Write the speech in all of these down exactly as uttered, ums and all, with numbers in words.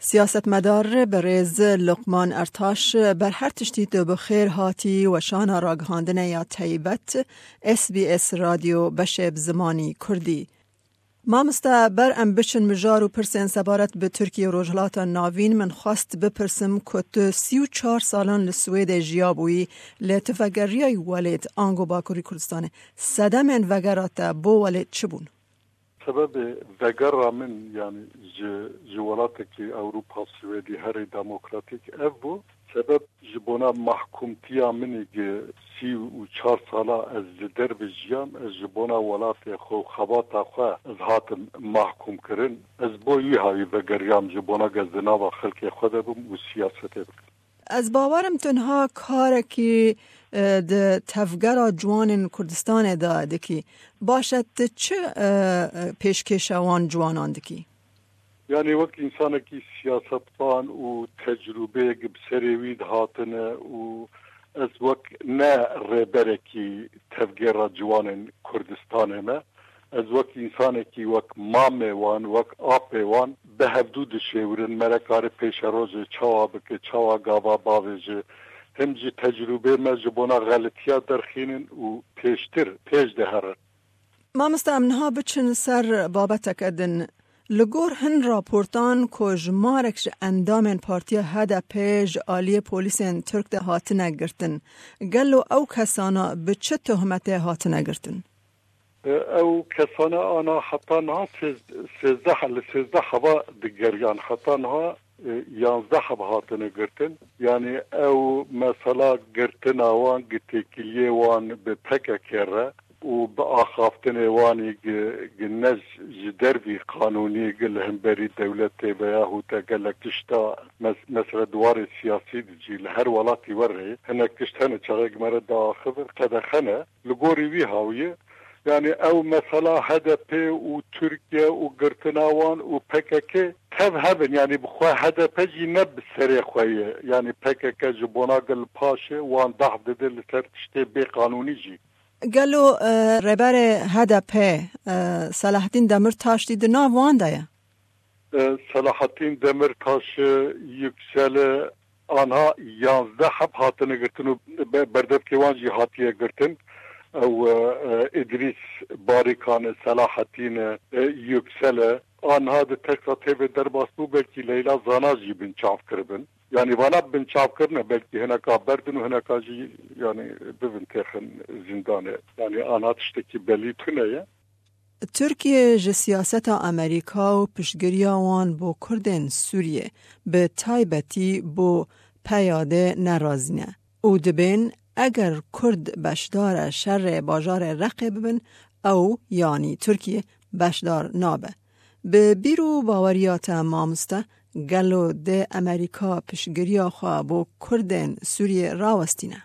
Siyasetmedar birêz Luqman Ertaş, ber her tiştî tu bi xêr hatî weşana ragihandine ya taybet S B S Radyo beşê bi zimanî Kurdî. Mamoste, ber em biçin mijar û pirsên sebaret bi Tirkiye û Rojhilata Navîn, min xwest bipirsim ku tu sî û çar salan li Swêdê jiyabûyî, lê tu vegeriyayî welêt ango Bakurî Kurdistanê. Sedemên vegera te bo welêt çi bûn? Sebebê vegera min, yanî ji, ji welatekî Ewropa Swêdî herê demokratîk ev bû. Sebeb ji bona mahkûmtiya min ê gi sî û çar sala ez li derve jiyam, ez ji bona welatê xwe û xebata xwe ez hatim mahkûm kirin. Ez bo wî hawî vegeriyam ji bona ge ez di nava xelkê xwe de bim û siyasetê bikim. Ez bawerim tu niha karekî, e, di tevgera ciwanên Kurdistanê de dikî. Baş e, tu çi, e, e, pêşkêşa wan ciwanan dikî? Yanî wek însanekî siyasetvan û tecrûbeyek bi serê wî dihatine û ez wek ne rêberekî tevgera ciwanên Kurdistanê me, ez wek însanekî, wek mamê wan, wek apê wan bi hevdû dişêwirin, me re kare pêşerojê çawa bike, çawa gava bavêje. Him jî tecrûbê me ji bona xelitiya derxînin û pêştir, pêş de herin. Mamoste, em niha biçin ser babeteke din. Li gor hin raportan ku jimarek ji endamên partiya H D P ji aliyê polîsên Tirk de hatine girtin, gelo ew kesana bi çi tohmetê hatine girtin? E, ew kesana ana heta niha sêz-, sêzdeh, li sêzdeh heva digeriyan. Heta niha, e, yanzdeh heb hatine girtin. Yanî ew mesela girtina wan, gi têkiliyê wan bi P K K re û bi axaftinê wanî gi, gi ne ji dervî qanûnî, gi li hemberî dewletê veya hûte gelek tişta mes-, mesela di warê siyasî de jî li her welatî werê hinek tişt hene, çaxê gi me re diaxivin, qedexe ne. Li gorî wî hawî ye. Yanî ew mesela H D P û Tirkiye û girtina wan û P K K tev hev in. Yanî bi xwe H D P jî ne bi serê xwe ye. Yanî P K K ji bona gel paşê wan deh dide li ser tiştê bêqanûnî jî. Gelo, e, rêberê H D P, e, Selahattin Demirtaş jî di nav wan de ye? E, Selahattin Demirtaş, e, Yüksel, e, anha yanzdeh heb hatine girtin û be-, berdevkê wan jî hatiye girtin. Ew, e, e, Îdrîs Barikan e, Selahattin e, e, Yüksel e. Anha di teksa tê ve derbas bû, belkî Leyla Zana jî binçav kiribin. Yanî vana binçav kirine, belkî hineka berdin û hineka jî, yanî, bibin têxin zîndanê. Yanî anha tiştekî belî tune ye. Tirkiye ji siyaseta Amerîka û piştgiriya wan bo Kurdên Sûriyê, bi taybetî bo P Y D nerazî ne û dibên eger Kurd beşdara şerê bajarê Reqê bibin, ew, yanî Tirkiye, beşdar nabe. Bi bîr û baweriya te, mamoste, gelo dê Amerîka piştgiriya xwe bo Kurdên Sûriyê rawestîne?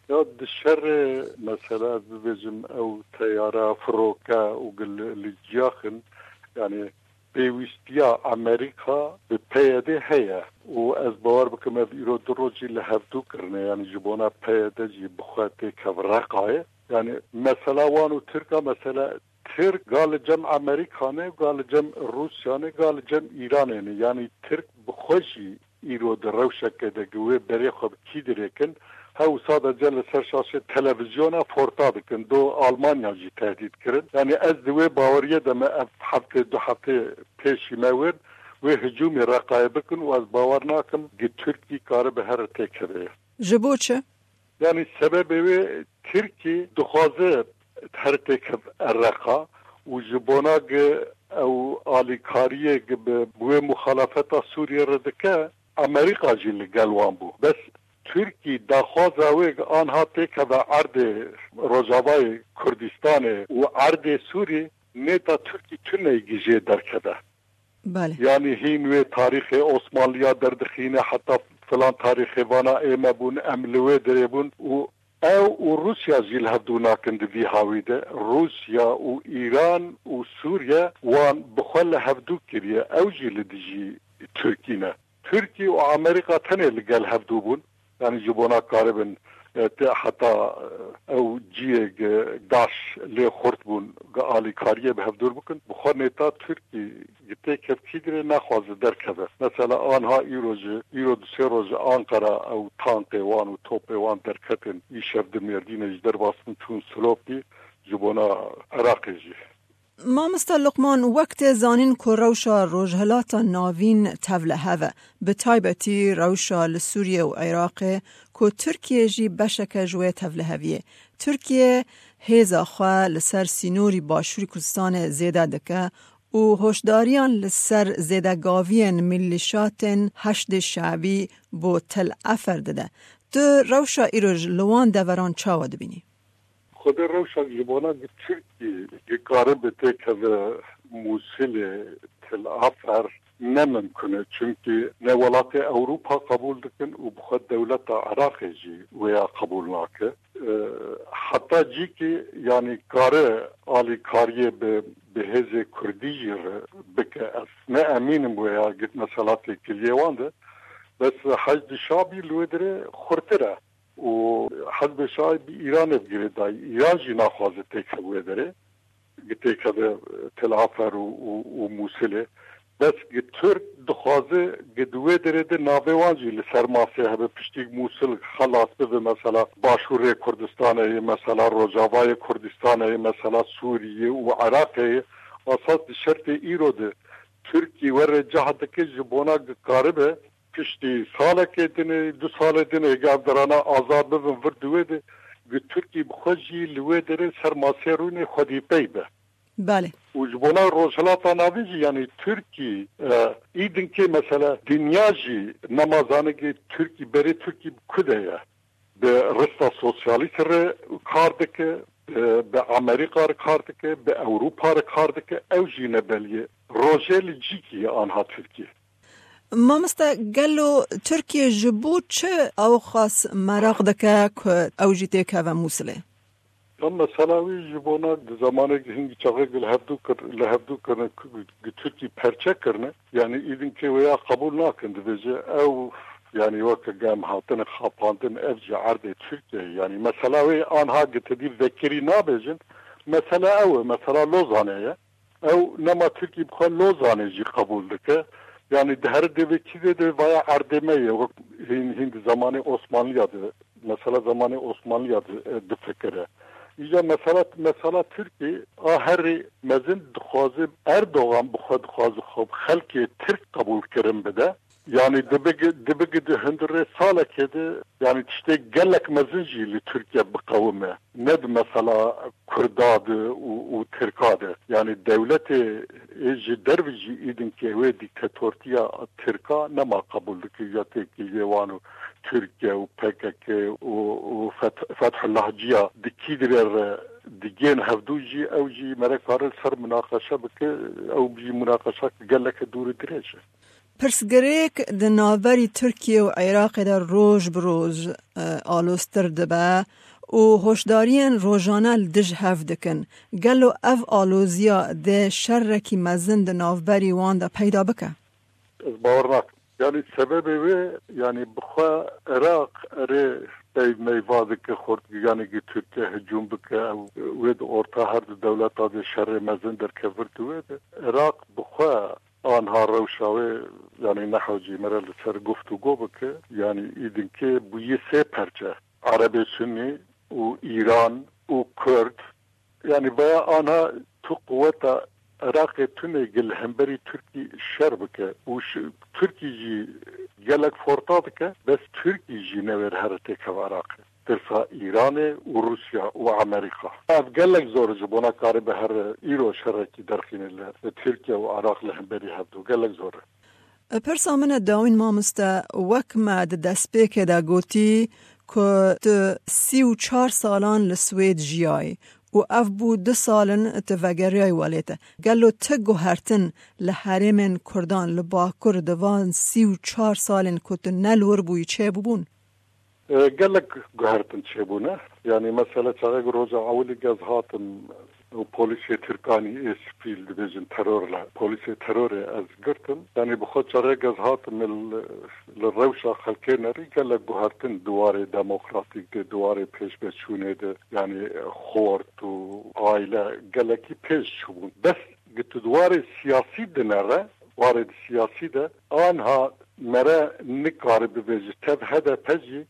Ya di şerê, mesela, ez bibêjim, ew teyara firoke û gil-, li ciyaxin, yanî pêwîstiya Amerîka bi P Y D heye û ez bawer bikim ev îro du roj jî li hevdû kirine, yanî ji bona P Y D jî bi xwe têkev Reqayê. Yanî mesela wan û Tirka, mesela Tirk ga li cem Amerîka ne, ga li cem Rûsya ne, ga li cem Îranê ne. Yanî Tirk bi xwe jî îro di rewşeke de gi wê berê xwe bi kî dirêkin, hew sadece li ser şaşê televizyona forta dikin. Do Almanya jî tehdît kirin. Yanî ez di wê baweriyê de me ev heftê, du heftê pêşî me wêr, wê hicûmê Reqayê bikin û ez bawer nakim gi Tirkî karibe here têkeve. Ji bo çi? Yanî sebebê wê Tirkî dixwaze her têkev Reqa û ji bona gi ew alîkariyê gi bi, bi wê muxalefeta Sûriyê re dike, Amerîka jî li gel wan bû. Bes Tirkî daxwaza wê gi anha têkeve erdê Rojavayê Kurdistanê û erdê Sûrî, nêta Tirkî tune yî gi jê derkeve. Belê. Yanî hîn wê tarîxê Osmanliya derdixîne, heta filan tarîxê vana ê me bûn, em li wê dirê bûn û ew û Rûsya jî li hevdû nakin di vî hawî de. Rûsya û Îran û Sûriye wan bi xwe li hevdû kiriye. Ew jî li dijî Tirkî ne. Tirkî û Amerîka tenê li gel hevdû bûn. Yanî ji bona karibin e, tê heta, e, ew ciyê gi daş lê xurt bûn, gi alîkariyê bi hevdûr bikin. Bi xwe nêta Tirkî gi têkev kî dirê naxwaze derkeve. Mesela anha îro ji, îro du sê roj ji Anqara ew tankê wan û topê wan derketin, îşev di Mêrdînê ji derbas bin çûn Silopî ji bona Iraqê jî. Mamosta Luqman, wek tê zanîn ku rewşa Rojhilata Navîn tevlihev e, bi taybetî rewşa li Sûriye û Iraqê ku Tirkiye jî beşeke ji wê tevliheviyê. Tirkiye hêza xwe li ser sînorî Başûrî Kurdistanê zêde dike û hoşdariyan li ser zêdegaviyên milîşatên Heşdê Şeibî bo Tel Efer dide. Tu rewşa îroj li wan deveran çawa dibînî? Xwedê rewşa ji bona gi Tirkî gi karibe têkeve Mûsilê, Til Afer ne mimkun e. Çimkî ne welatê Ewropa qebûl dikin û bi xwe dewleta Iraqê jî wêya qebûl nake. E, heta cîkî, yanî kare alîkariyê bi, bi hêzê Kurdî jî re bike. Ez ne emîn im wêya gi mesela têkiliyê wan de. Bes Heşdî Şabî li wê dirê xurtir e. Û Hezbê Şaî bi Îranê bi girêdayî. Îran jî naxwaze têkeve wê derê. Gi têkeve Tel Afer û, û, û Mûsilê. Bes gi Tirk dixwaze gi di wê derê de navê wan jî li ser masê hebe, piştî Mûsil xelas bibe, mesela Başûrê Kurdistanê ye, mesela Rojavayê Kurdistanê ye, mesela Sûriyê û Iraqê ye. Esas di şertê îro de Tirkî were cah dike ji bona gi karibe piştî salekê dinê, du salê dinê, eger derana azad bibin vir di wê de, gi Tirkî bi xwe jî li wê derê ser masê rûnê xwedî pey be. Belê. Û ji bona Rojhilata Navîn jî, yanî Tirkî, e, îdinkê mesela dinya jî nema zanigê Tirkî, berê Tirkî bi ku de ye. Bi rista sosyalîst re kar dike, bi, bi Amerîka re kar dike, bi Ewropa re kar dike, ew jî ne belî ye. Rojê li cîkî ye anha Tirkî. Mamoste, gelo Tirkiye ji bo çi ew xas meraq dike ku ew jî têkeve Mûsilê? Ya mesela wî ji bona di zamanê hingî çaxê li hevdû kir, li hevdû kirine, ku, ku Tirkî perçe kirine, yanî îdinkê wêya qebûl nakin, dibêje ew, yanî weke gem hatine xapandin, ev ji erdê Tirkiye ye. Yanî mesela wê anha gi te dî vekirî nabêjin, mesela ew e, mesela Lozanê ye. Ew nema Tirkî bi xwe Lozanê jî qebûl dike. Yanî di her dê vê kî dê de vaya erdê me ye, wek hîn, hîn di zamanê Osmanliya de, mesela zamanê Osmanliya de, e, difikire. Îca mesela, mesela Tirkî a herî mezin dixwaze, Erdogan bi xwe dixwaze xwe bi xelkê Tirk qebûl kirin bide. Yanî dibigi, dibigi di hundirê salekê de, yanî tiştê gelek mezin jî li Tirkiye biqewime. Ne di mesela Kurda de û, û Tirka de. Yanî dewletê ê ji derve jî îdinkê wê dîktatortiya Tirka nema qebûl dike ya têkiliyê wan û Tirkiye û P K K û, û Feth-, Fethullah Ciya di kî dirê re digên hevdû jî ew jî merek kare li ser munaqeşe bike, ew jî munaqeşa geleke dûr û dirêj e. Pirsgirêk di navberî Tirkiye û Iraqê de roj bi roj, e, aloztir dibe û hoşdariyên rojane li dij hev dikin. Gelo ev aloziya dê şerekî mezin di navberî wan de peyda bike? Ez bawer nakim. Yanî sebebê wê, yanî bi xwe Iraq erê pey meyva dike, xort, yanî ki Tirkiye hicûm bike, ew wê di orta her du dewleta de şerê mezin derkevir di wê de. Iraq bi xwe anha rewşa wê, yanî nehewcî me re li ser guftûgo bike, yanî îdinkê bûyî sê perçe. Erebê Sunî û Îran û Kurd, yanî veya anha tu quweta Iraqê tune gi li hemberî Tirkî şer bike û ş-, Tirkî jî gelek forta dike, bes Tirkî jî newêr here têkeve Iraqê. Tirsa Îranê û Rûsya û Amerîka. Ev gelek zor e ji bona karibe here îro şerekî derxîne li Tirkiye û Iraq li hemberî hevdû. Gelek zor e. Pirsa min e dawîn mamoste, wek me di destpêkê de gotî ku tu sî û çar salan li Swêd jiyayî û ev bû du sal in tu vegeriyayî welê te. Gelo ti guhertin li herêmên Kurdan li Bakur di van sî û çar salên ku tu ne li wir bûyî çêbûbûn? E, gelek guhertin çêbûne. Yanî mesela çaxê ku roja ewilî ez hatim, û polîsê Tirkanî ê spî li dibêjin terorle, polîsê terorê ez girtim. Yanî bi xwe çarek ez hatim li, li rewşa xelkê nerî gelek guhertin di warê demokratîk de, di warê pêşveçûnê de, yanî xort û aile gelekî pêş çûbûn. Bes gi tu di warê siyasî dinere, warê di siyasî de anha mere nikare bibêje tev H D P jî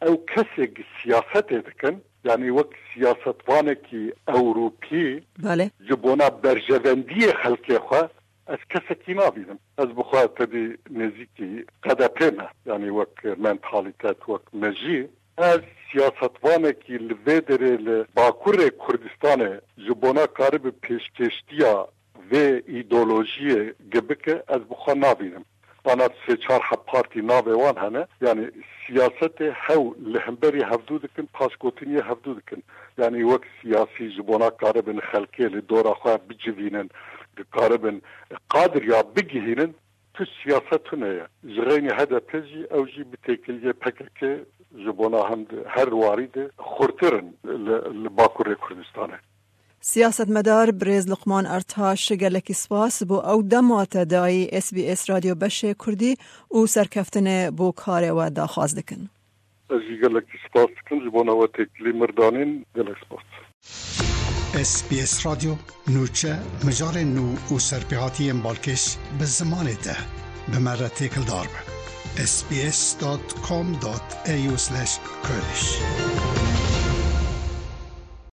ew kesê gi siyasetê dikin, yanî wek siyasetvanekî Ewropî Belê. ji bona berjevendiyê xelkê xwe ez kesekî nabînim. Ez bi xwe tevî nêzîkî K D P me, yanî wek mentalîtet, wek mejî. Ez siyasetvanekî li vê derê li Bakurê Kurdistanê ji bona karibe pêşkêştiya vê îdeolojiyê gi bike, ez bi xwe nabînim. Ana sê çar heb partî navê wan hene. Yanî siyasetê hew li hemberî hevdû dikin, paşgotiniyê hevdû dikin. Yanî wek siyasî ji bona karibin xelkê li dora xwe bicivînin, karibin qadiriya bigihînin, tu siyaset tune ye. Ji xeynî H D P jî ew jî bi têkiliyê P K K ji bona hem di her warî de xurtir in li, li Bakurê Kurdistanê. Siyasetmedar birêz Luqman Ertaş, gelekî spas bo ew dema te dayî S B S Radyo Beşê Kurdî û serkeftinê bo karê we daxwaz dikin. Ez jî gelekî spas dikim ji bona we têkilî mir danîn. Gelek spas. S B S Radyo, nûçe, mijarên nû û serpêhatiyên balkêş bi zimanê te. Bi me re têkildar be. S B S dot com dot A U slash Kurdish.